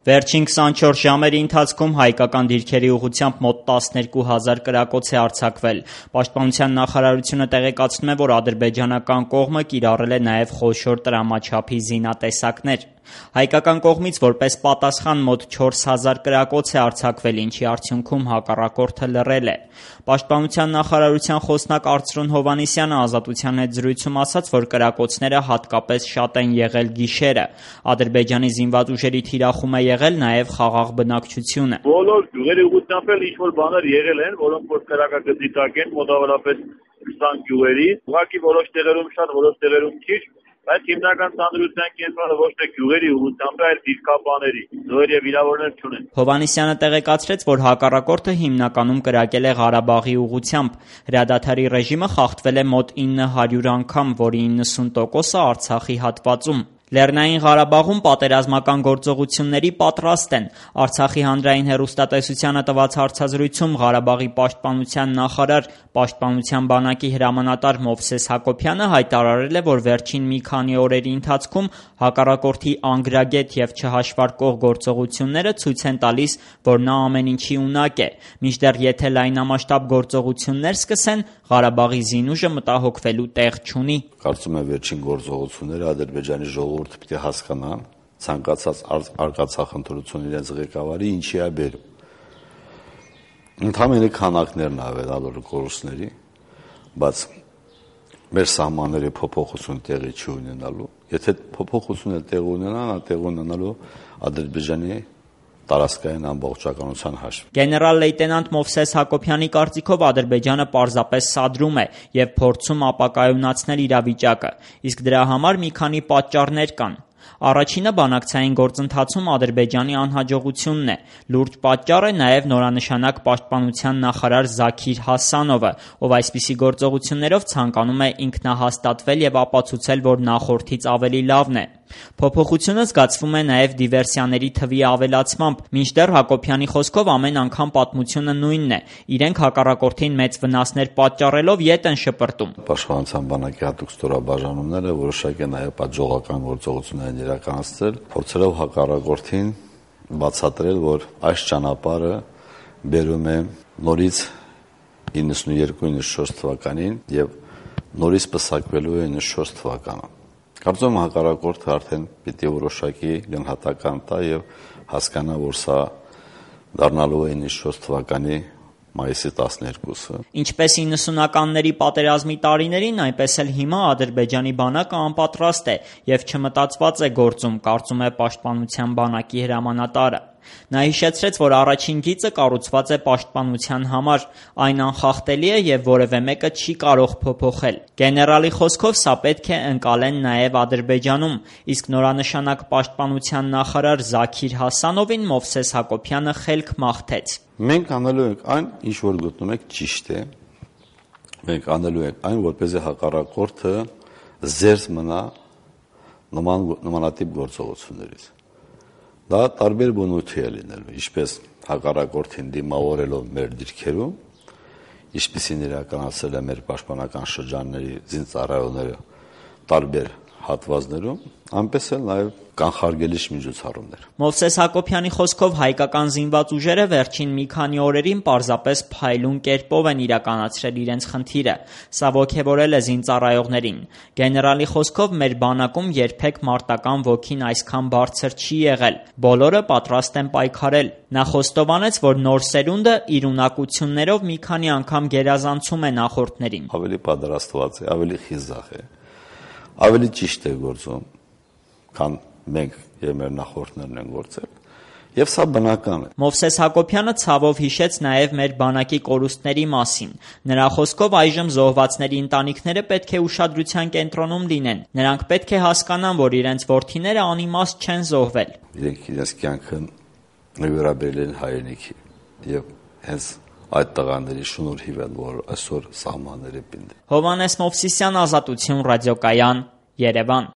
Վերջին 24 ժամերի ընթացքում հայկական դիրքերի ուղղությամբ մոտ 12,000 կրակոց է արձակվել։ Պաշտպանության նախարարությունը տեղեկացնում է, որ ադրբեջանական կողմը կիրառել է նաև խոշոր տրամաչափի զինատեսակներ։ Հայկական կողմից որպես պատասխան մոտ 4,000 կրակոց է արձակվել, ինչի արդյունքում հակառակորդը լռել է։ Պաշտպանության նախարարության խոսնակ Արծրուն Հովհաննիսյանը «Ազատության» հետ զրույցում ասաց, որ կրակոցները հատկապես շատ են եղել գիշերը։ Ադրբեջանի զինված ուժերի թիրախում է եղել նաև խաղաղ բնակչությունը։ Բոլոր գյուղերի ուղղությամբ էլ ինչ-որ բաներ եղել են, որոնք որ կրակագծի տակ են, մոտավորապես 20 գյուղերի, ուղղակի որոշ տեղերում շատ, որոշ տեղերում քիչ, բայց հիմնական ծանրության կենտրոնը ոչ թե գյուղերի ուղղությամբ, այլ դիրքապաների, զոհեր եւ վիրավորներ չունեն։ Հովհաննիսյանը տեղեկացրեց, որ հակառակորդը հիմնականում կրակել է Ղարաբաղի ուղղությամբ։ Հրադադարի ռեժիմը խախտվել է մոտ 900 անգամ, որի 90%-ը Արցախի հատվածում։ Լեռնային Ղարաբաղում պատերազմական գործողությունների պատրաստ են։ Արցախի հանրային հեռուստատեսությանը տված հարցազրույցում Ղարաբաղի պաշտպանության նախարար, պաշտպանության բանակի հրամանատար Մովսես Հակոբյանը հայտարարել է, որ վերջին մի քանի օրերի ընթացքում հակառակորդի անգրագետ եւ չհաշվարկող գործողությունները ցույց են տալիս, որ նա ամեն ինչի ունակ է։ Մինչդեռ եթե լայնամասշտաբ գործողություններ սկսեն, Ղարաբաղի զինուժը մտահոգվելու տեղ չունի։ Կարծում եմ վերջին գործողությունները Ադրբեջանի ժողովուրդը պետք է հասկանա ցանկացած արկածախնդրություն իրենց ղեկավարի ինչի է բերում։ Ընդհանրապես քանակներն ավելալու կորուստների, բայց մեր սահմանների փոփոխություն տեղի չի ունենալու։ Եթե փոփոխությունը տեղի ունենա, նա տեղի ունենալու Ադրբեջանի տարածքային ամբողջականության հաշվին։ Գեներալ լեյտենանտ Մովսես Հակոբյանի կարծիքով Ադրբեջանը պարզապես սադրում է եւ փորձում ապակայունացնել իրավիճակը, իսկ դրա համար մի քանի պատճառներ կան։ Առաջինը բանակցային գործընթացում Ադրբեջանի անհաջողությունն է։ Լուրջ պատճառ է նաև նորանշանակ պաշտպանության նախարար Զաքիր Հասանովը, ով այսպիսի գործողություններով ցանկանում է ինքնահաստատվել եւ ապացուցել, որ նախորդից ավելի լավն է։ Փոփոխությունը զգացվում է նաև դիվերսիաների թվի ավելացմամբ, մինչդեռ Հակոբյանի խոսքով ամեն անգամ պատմությունը նույնն է։ Իրենք հակառակորդին մեծ վնասներ պատճառելով ետ են շպրտում։ Պաշտպանության բանակի հատուկ ստորաբաժանումները որոշակի նաև պատժողական գործողություններ են իրականացրել, փորձելով հակառակորդին բացատրել, որ այս ճանապարհը բերում է նորից 92-94 թվականին եւ նորից պսակվելու է 94 թվականը։ Կարծում եմ հակառակորդը արդեն պիտի որոշակի գնահատական տա եւ հասկանա, որ սա դառնալու է 94 թվականի մայիսի 12-ը։ Ինչպես 90-ականների պատերազմի տարիներին, այնպես էլ հիմա Ադրբեջանի բանակը անպատրաստ է եւ չմտածված է գործում, կարծում է պաշտպանության բանակի հրամանատարը։ Նա հիշեցրեց, որ առաջին գիծը կառուցված է պաշտպանության համար, այն անխախտելի է եւ որևէ մեկը չի կարող փոփոխել։ Գեներալի խոսքով սա պետք է ընկալեն նաեւ Ադրբեջանում, իսկ նորանշանակ պաշտպանության նախարար Զաքիր Հասանովին Մովսես Հակոբյանը խելք մաղթեց։ Մենք անելու ենք այն, ինչ որ գտնում եք ճիշտ է։ Մենք անելու ենք այն, որպեսզի հակառակորդը զերծ մնա նմանատիպ գործողություններից։ Դա տարբեր բնույթի է լինելու, ինչպես հակառակորդին դիմավորելով մեր դիրքերում, ինչպիսին իրականացել է մեր պաշտպանական շրջանների զինծառայողները տարբեր հատվածներում, այնպես էլ նաև կանխարգելիչ միջոցառումներ։ Մովսես Հակոբյանի խոսքով հայկական զինված ուժերը վերջին մի քանի օրերին պարզապես փայլուն կերպով են իրականացրել իրենց խնդիրը։ Սա ոգևորել է զինծառայողներին։ Գեներալի խոսքով մեր բանակում երբեք մարտական ոգին այսքան բարձր չի եղել։ Բոլորը պատրաստ են պայքարել։ Նա խոստովանեց, որ նոր սերունդը իր ունակություններով մի քանի անգամ գերազանցում է նախորդներին։ Ավելի պատրաստված է, ավելի խիզախ է, ավելի ճիշտ է գործում, քան մենք եւ մեր նախորդներն են գործել, եւ սա բնական է։ Մովսես Հակոբյանը ցավով հիշեց նաեւ մեր բանակի կորուստների մասին։ Նրա խոսքով այժմ զոհվածների ընտանիքները պետք է ուշադրության կենտրոնում լինեն։ Նրանք պետք է հասկանան, որ իրենց որդիները անիմաստ չեն զոհվել։ Իրենք իրենց կյանքը նվիրաբերել են հայրենիքի եւ հենց այդ տղաների շնորհիվ են, որ այսօր սահմանները պինդ։ Հովհաննես Մովսիսյան, Ազատություն ռադիոկայան, Երևան։